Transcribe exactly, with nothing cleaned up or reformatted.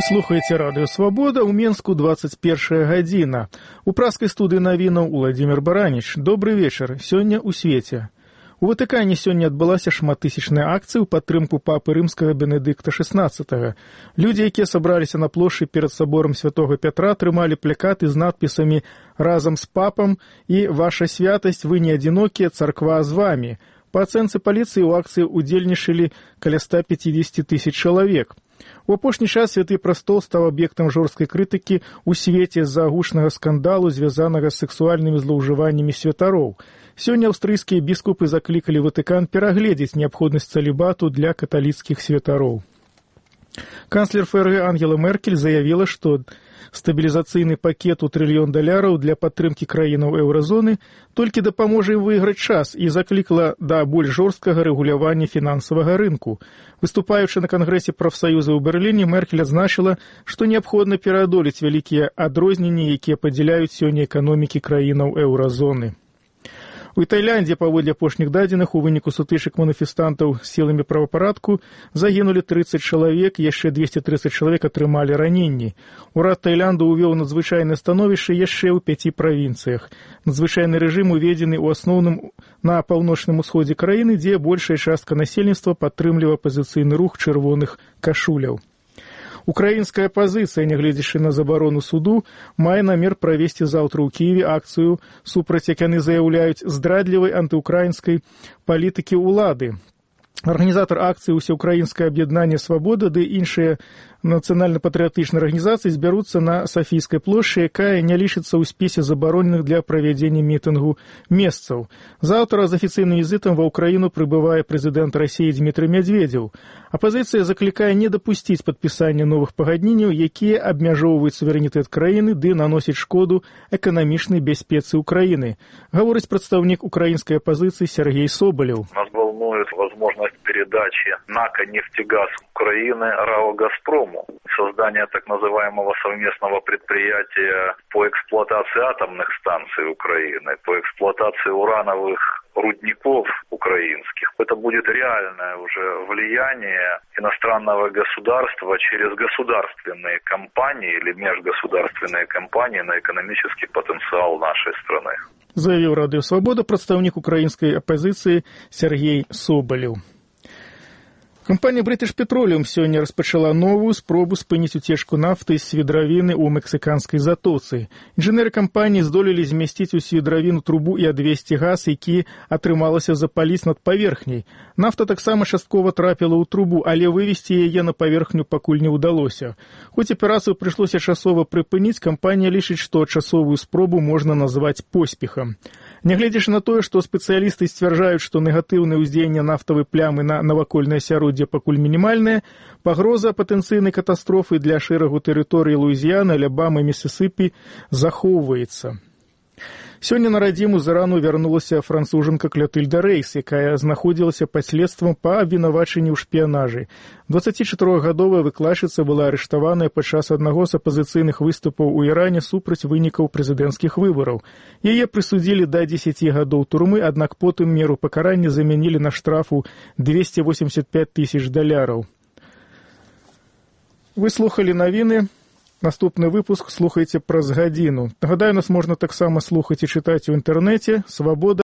Вы слухаеце радыё Свабода, у Менску двадцать першая гадзіна. У праскай студыі навінаў Уладзімір Бараніч. Добры вечар. Сёння ў свеце. У Ватыкане сёння адбылася шматтысячная акцыя ў падтрымку папы рымскага Бенедыкта шэснаццатага. Людзі, якія сабраліся на плошчы перад саборам святога Пятра, трымалі плакаты з надпісамі «Разам з папам» і «Ваша святасць, вы не адзінокія, царква з вамі». Па ацэнцы паліцыі ў акцыі удзельнічалі каля ста пяцідзесяці тысяч чалавек. У апошні час Святы прастол стаў аб'ектам жорсткай крытыкі ў свеце з-за гучнага скандалу, звязанага з сексуальнымі злоўжываннямі святароў. Сёння аўстрыйскія біскупы заклікалі Ватыкан перагледзець неабходнасць цалібату для каталіцкіх святароў. Канцлер ФРГ Ангела Меркель заявіла, што стабілізацыйны пакет у трыльён даляраў для падтрымкі краінаў еўразоны толькі дапаможа ім выйграць час і заклікала да больш жорсткага рэгулявання фінансавага рынку. Выступаючы на кангрэсе прафсаюза ў Берліне, Меркель адзначыла, што неабходна пераадолець вялікія адрозненні, якія падзяляюць сёння эканомікі краінаў еўразоны. У Таіландзе, паводле апошніх дадзеных, у выніку сутычак маніфестантаў з сіламі правапарадку загінулі трыццаць чалавек, яшчэ двесце трыццаць чалавек атрымалі раненні. Урад Таіланду ўвёў надзвычайнае становішча яшчэ ў пяці правінцыях. Надзвычайны рэжым уведзены ў асноўным на паўночным усходзе краіны, дзе большая частка насельніцтва падтрымлівае апазіцыйны рух чырвоных кашуляў. Украінская апазіцыя, нягледзячы на забарону суду, мае намер правесці заўтра ў Кіеве акцыю супраць, як яны заяўляюць, здрадлівай антыукраінскай палітыкі ўлады. Арганізатар акцыі «Усеукраінскае аб'яднанне Свабода» ды іншыя нацыянальна-патрыятычныя арганізацыі збяруцца на Сафійскай плошчы, якая не лічыцца ў спісе забароненых для правядзення мітынгу месцаў. Заўтра з афіцыйным візітам ва ўкраіну прыбывае прэзідэнт Расіі Дмітрый Мядзведзеў. Апазіцыя заклікае не дапусціць падпісання новых пагадненняў, якія абмяжоўваюць суверэнітэт краіны ды наносяць шкоду эканамічнай бяспецы ўкраіны. Гаворыць прадстаўнік украінскай апазіцыі Сергей Соболев. Нас волнует возможность передачи НАКа «Нефтегаз» Украины РАО «Газпрому», создание так называемого совместного предприятия по эксплуатации атомных станций Украины, по эксплуатации урановых рудников украинских. Это будет реальное уже влияние иностранного государства через государственные компании или межгосударственные компании на экономический потенциал нашей страны. Заявіў радыё Свабода прадстаўнік украінскай апазіцыі Сергей Соболев. Кампанія British Petroleum сёння распачала новую спробу спыніць уцечку нафты з свідравіны ў мексіканскай затоцы. Інжынеры кампаніі здолелі змясціць у свідравіну трубу і адвесці газ, які атрымалася запаліць над паверхняй. Нафта таксама часткова трапіла ў трубу, але вывесці яе на паверхню пакуль не ўдалося. Хоць аперацыю прыйшлося часова прыпыніць, кампанія лічыць, што часовую спробу можна назваць поспехам. Нягледзячы на тое, што спецыялісты сцвярджаюць, што негатыўнае ўздзеянне нафтавай плямы на навакольнае асяроддзе пакуль мінімальная, пагроза патэнцыйнай катастрофы для шэрагу тэрыторыі Луізіяны, Алябамы, Місісіпі захоўваецца. Сёння на радзіму з Ірану вярнулася францужанка Клятыльда Рэйс, якая знаходзілася пад следствам па абвінавачанні ў шпіянажы. дваццацічатырохгадовая выкладчыца была арыштаваная падчас аднаго з апазіцыйных выступаў у Іране супраць вынікаў прэзідэнцкіх выбараў. Яе прысудзілі да дзесяці гадоў турмы, аднак потым меру пакарання замянілі на штрафу двесце восемьдесят пять тысяч даляраў. Вы слухалі навіны. Наступны выпуск слухайце праз гадзіну. Нагадаю, нас можна таксама слухаць і чытаць у інтэрнэце. Свабода.